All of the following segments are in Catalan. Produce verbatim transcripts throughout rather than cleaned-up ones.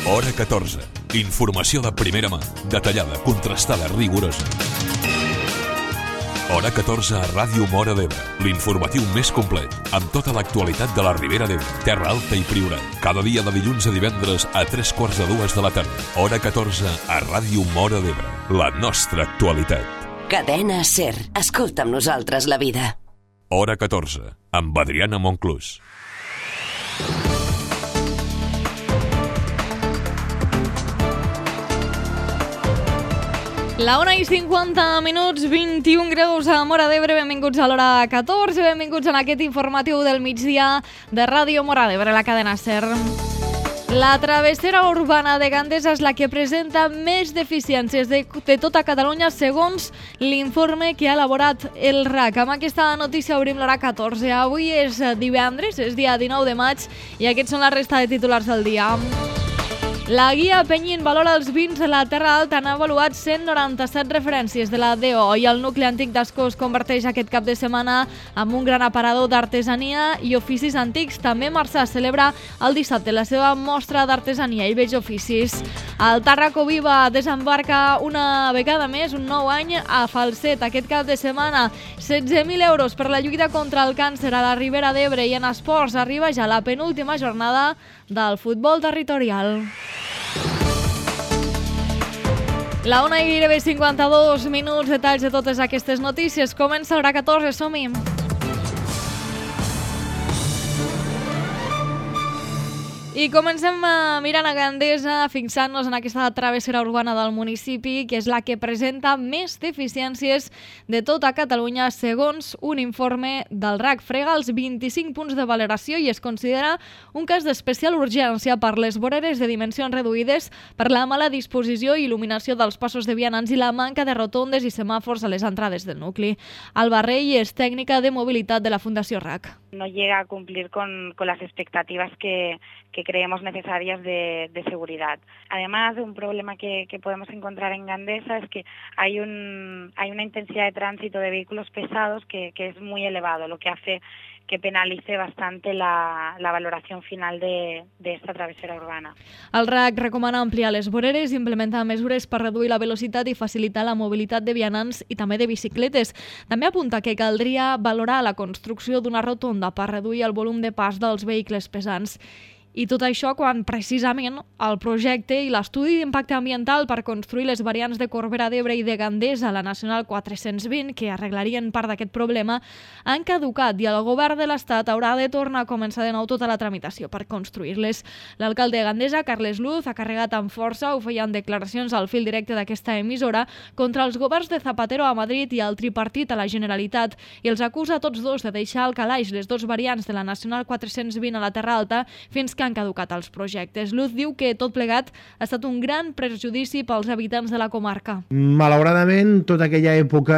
Hora catorze. Informació de primera mà, detallada, contrastada, rigorosa. Hora catorze a Ràdio Móra d'Ebre, l'informatiu més complet, amb tota l'actualitat de la Ribera d'Ebre, Terra Alta i Priorat. Cada dia de dilluns a divendres a tres quarts de dues de la tarda. Hora catorze a Ràdio Móra d'Ebre, la nostra actualitat. Cadena SER. Escolta amb nosaltres la vida. Hora catorze, amb Adriana Monclús. La una i cinquanta minuts, vint-i-un graus a Móra d'Ebre. Benvinguts a l'hora catorze, benvinguts en aquest informatiu del migdia de Ràdio Móra d'Ebre, la cadena SER. La travessera urbana de Gandesa és la que presenta més deficiències de, de tota Catalunya segons l'informe que ha elaborat el R A C. Amb aquesta notícia obrim l'hora catorze. Avui és divendres, és dia dinou de maig i aquests són la resta de titulars del dia. La guia Penyín valora els vins de la Terra Alta. Han avaluat cent noranta-set referències de la D O i el nucli antic d'Ascó es converteix aquest cap de setmana en un gran aparador d'artesania i oficis antics. També Marçà celebra el dissabte la seva mostra d'artesania i vells oficis. El Tarraco Viva desembarca una vegada més, un nou any a Falset. Aquest cap de setmana, setze mil euros per la lluita contra el càncer a la Ribera d'Ebre. I en esports arriba ja la penúltima jornada del futbol territorial. La una i gairebé cinquanta-dos minuts, detalls de totes aquestes notícies. Comença l'hora catorze, som-hi. I comencem mirant a Gandesa, fixant-nos en aquesta travessera urbana del municipi, que és la que presenta més deficiències de tota Catalunya, segons un informe del R A C. Frega els vint-i-cinc punts de valoració i es considera un cas d'especial urgència per les voreres de dimensions reduïdes, per la mala disposició i il·luminació dels passos de vianants i la manca de rotondes i semàfors a les entrades del nucli. Alba Rey és tècnica de mobilitat de la Fundació R A C. No llega a cumplir con, con las expectativas que, que creemos necesarias de, de seguridad. Además, un problema que, que podemos encontrar en Gandesa es que hay, un, hay una intensidad de tránsito de vehículos pesados que, que es muy elevado, lo que hace que penalice bastante la, la valoración final de, de esta travesera urbana. El R A C recomana ampliar les voreres i implementar mesures per reduir la velocitat i facilitar la mobilitat de vianants i també de bicicletes. També apunta que caldria valorar la construcció d'una rotonda per reduir el volum de pas dels vehicles pesants. I tot això quan precisament el projecte i l'estudi d'impacte ambiental per construir les variants de Corbera d'Ebre i de Gandesa a la Nacional quatre-cents vint, que arreglarien part d'aquest problema, han caducat i el govern de l'Estat haurà de tornar a començar de nou tota la tramitació per construir-les. L'alcalde de Gandesa, Carles Luz, ha carregat amb força, ho feien declaracions al fil directe d'aquesta emissora, contra els governs de Zapatero a Madrid i el tripartit a la Generalitat i els acusa a tots dos de deixar al calaix les dues variants de la Nacional quatre-cents vint a la Terra Alta fins que han caducat els projectes. Luz diu que tot plegat ha estat un gran perjudici pels habitants de la comarca. Malauradament, tota aquella època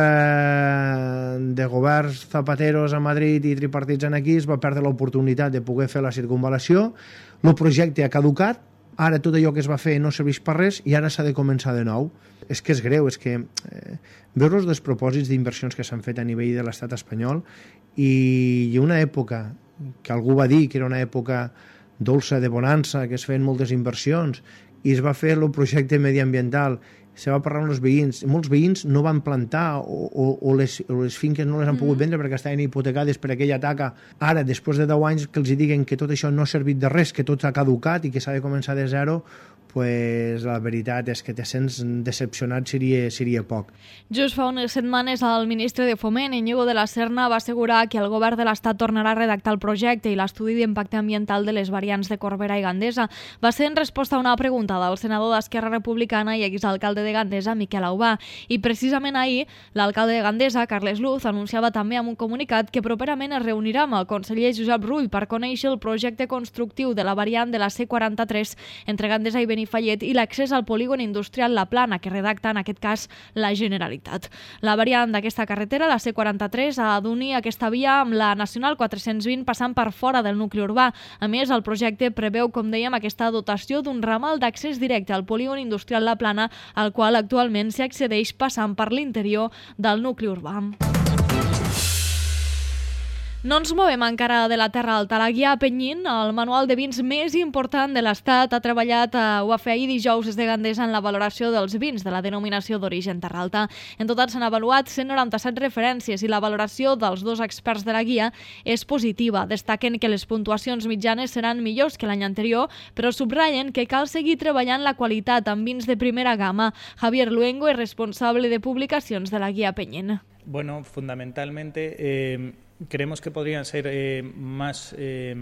de governs zapateros a Madrid i tripartits aquí es va perdre l'oportunitat de poder fer la circunvalació. El projecte ha caducat, ara tot allò que es va fer no serveix per res i ara s'ha de començar de nou. És que és greu, és que eh, veure els despropòsits d'inversions que s'han fet a nivell de l'estat espanyol i, i una època que algú va dir que era una època dolça de bonança, que es feien moltes inversions i es va fer el projecte mediambiental, se va parlar amb els veïns, molts veïns no van plantar o, o, o, les, o les finques no les han pogut vendre perquè estaven hipotecades per aquella taca. Ara, després de deu anys que els diguen que tot això no ha servit de res, que tot ha caducat i que s'ha de començar de zero, pues la veritat és que te sents decepcionat seria, seria poc. Just fa unes setmanes el ministre de Foment, Íñigo de la Serna, va assegurar que el govern de l'Estat tornarà a redactar el projecte i l'estudi d'impacte ambiental de les variants de Corbera i Gandesa. Va ser en resposta a una pregunta del senador d'Esquerra Republicana i exalcalde de Gandesa, Miquel Aubà. I precisament ahir, l'alcalde de Gandesa, Carles Luz, anunciava també amb un comunicat que properament es reunirà amb el conseller Josep Rull per conèixer el projecte constructiu de la variant de la C quaranta-tres entre Gandesa i Benifallet i l'accés al polígon industrial La Plana, que redacta en aquest cas la Generalitat. La variant d'aquesta carretera, la C quaranta-tres, ha d'unir aquesta via amb la Nacional quatre-cents vint passant per fora del nucli urbà. A més, el projecte preveu, com dèiem, aquesta dotació d'un ramal d'accés directe al polígon industrial La Plana, al qual actualment s'hi accedeix passant per l'interior del nucli urbà. No ens movem encara de la Terra Alta. La guia Penyín, el manual de vins més important de l'Estat, ha treballat, eh, ho va fer ahir dijous des de Gandesa en la valoració dels vins de la denominació d'origen Terra Alta. En total s'han avaluat cent noranta-set referències i la valoració dels dos experts de la guia és positiva. Destaquen que les puntuacions mitjanes seran millors que l'any anterior, però subratllen que cal seguir treballant la qualitat amb vins de primera gamma. Javier Luengo és responsable de publicacions de la guia Penyín. Bueno, fundamentalmente eh, creemos que podrían ser eh, más eh,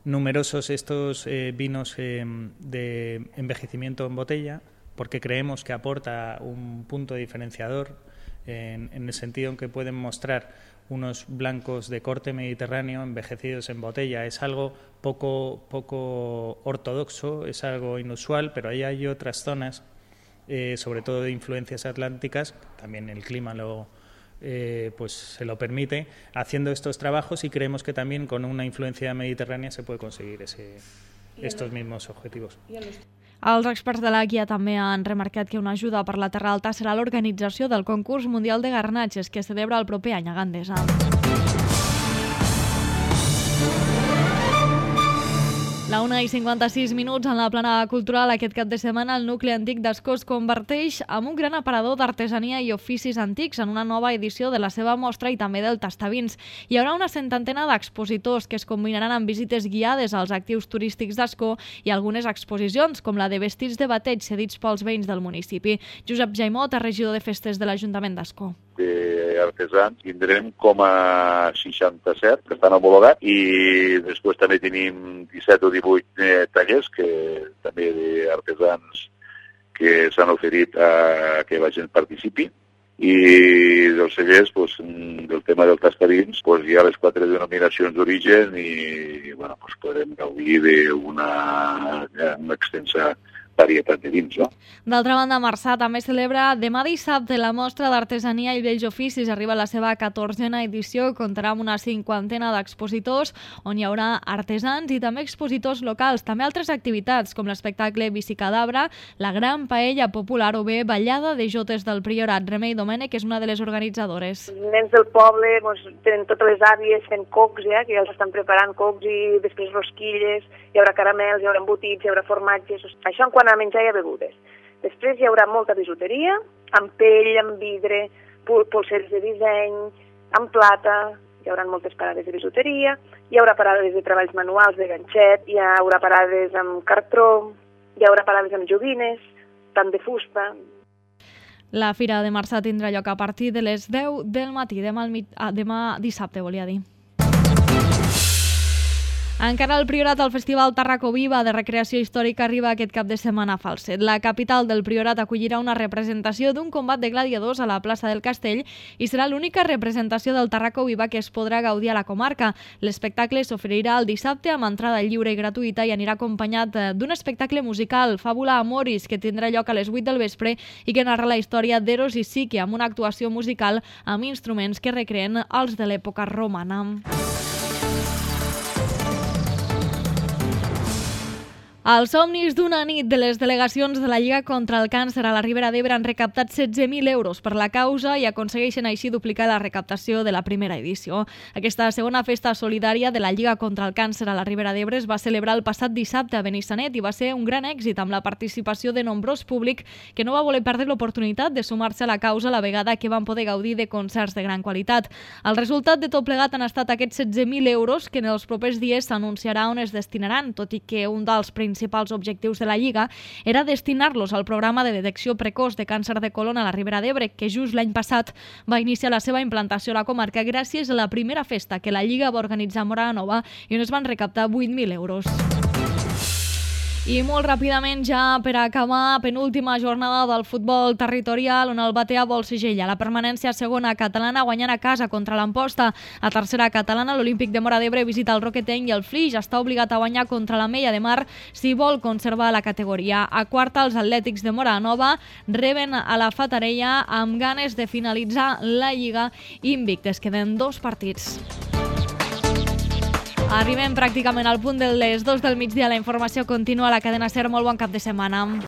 numerosos estos eh, vinos eh, de envejecimiento en botella, porque creemos que aporta un punto diferenciador en, en el sentido en que pueden mostrar unos blancos de corte mediterráneo envejecidos en botella. Es algo poco, poco ortodoxo, es algo inusual, pero ahí hay otras zonas, eh, sobre todo de influencias atlánticas, también el clima lo Eh, pues se lo permite, haciendo estos trabajos, y creemos que también con una influencia mediterránea se puede conseguir ese, estos mismos objetivos. Els experts de la guia també han remarcat que una ajuda per la Terra Alta serà l'organització del concurs mundial de garnatges que es celebra el proper any a Gandesa. La una i cinquanta-sis minuts en la plana cultural. Aquest cap de setmana el nucli antic d'Ascó es converteix en un gran aparador d'artesania i oficis antics en una nova edició de la seva mostra i també del tastavins. Hi haurà una centantena d'expositors que es combinaran amb visites guiades als actius turístics d'Ascó i algunes exposicions, com la de vestits de bateig cedits pels veïns del municipi. Josep Jaimot, regidor de festes de l'Ajuntament d'Ascó. Artesans tindrem com a seixanta-set que estan homologats i després també tenim disset o divuit eh, tallers que també d'artesans que s'han oferit a que la gent participi, i dels cellers, pues, del tema del tastavins, pues, hi ha les quatre denominacions d'origen i bueno, pues, podem gaudir d'una una extensa varietat de vins, no? D'altra banda, Marçà també celebra demà dissabte la mostra d'artesania i vells oficis. Arriba a la seva catorzena edició, comptarà amb una cinquantena d'expositors on hi haurà artesans i també expositors locals. També altres activitats com l'espectacle Bicicadabra, la gran paella popular o bé ballada de jotes del Priorat. Remei Domènech és una de les organitzadores. Els nens del poble doncs, tenen totes les àvies fent cocs, ja, que ja els estan preparant cocs i després rosquilles, hi haurà caramels, hi haurà embotits, hi haurà formatges. Això en quant a menjar i a begudes. Després hi haurà molta bijuteria, amb pell, amb vidre, polseres de disseny, amb plata, hi haurà moltes parades de bijuteria, hi haurà parades de treballs manuals, de ganxet, hi haurà parades amb cartró, hi haurà parades amb joguines, tant de fusta. La Fira de Marçà tindrà lloc a partir de les deu del matí, demà, al mit... ah, demà dissabte, volia dir. Encara al Priorat, el Festival Tarraco Viva de recreació històrica arriba aquest cap de setmana a Falset. La capital del Priorat acollirà una representació d'un combat de gladiadors a la plaça del Castell i serà l'única representació del Tarraco Viva que es podrà gaudir a la comarca. L'espectacle s'oferirà el dissabte amb entrada lliure i gratuïta i anirà acompanyat d'un espectacle musical, Fàbula Amoris, que tindrà lloc a les vuit del vespre i que narra la història d'Eros i Psique amb una actuació musical amb instruments que recreen els de l'època romana. Els somnis d'una nit de les delegacions de la Lliga contra el Càncer a la Ribera d'Ebre han recaptat setze mil euros per la causa i aconsegueixen així duplicar la recaptació de la primera edició. Aquesta segona festa solidària de la Lliga contra el Càncer a la Ribera d'Ebre es va celebrar el passat dissabte a Benissanet i va ser un gran èxit amb la participació de nombrós públic que no va voler perdre l'oportunitat de sumar-se a la causa a la vegada que van poder gaudir de concerts de gran qualitat. El resultat de tot plegat han estat aquests setze mil euros que en els propers dies s'anunciarà on es destinaran, tot i que un dels principals principals objectius de la Lliga era destinar-los al programa de detecció precoç de càncer de colon a la Ribera d'Ebre, que just l'any passat va iniciar la seva implantació a la comarca gràcies a la primera festa que la Lliga va organitzar a Móra la Nova i on es van recaptar vuit mil euros. I molt ràpidament, ja per acabar, penúltima jornada del futbol territorial on el Batea vol segella la permanència segona catalana guanyant a casa contra l'Amposta. A tercera catalana, l'Olímpic de Móra d'Ebre visita el Roquetenc i el Flix està obligat a guanyar contra la Mella de Mar si vol conservar la categoria. A quarta, els Atlètics de Móra Nova reben a la Fatarella amb ganes de finalitzar la Lliga invictes. Queden dos partits. Arribem pràcticament al punt de les dos del migdia. La informació continua a la cadena SER. Molt bon cap de setmana.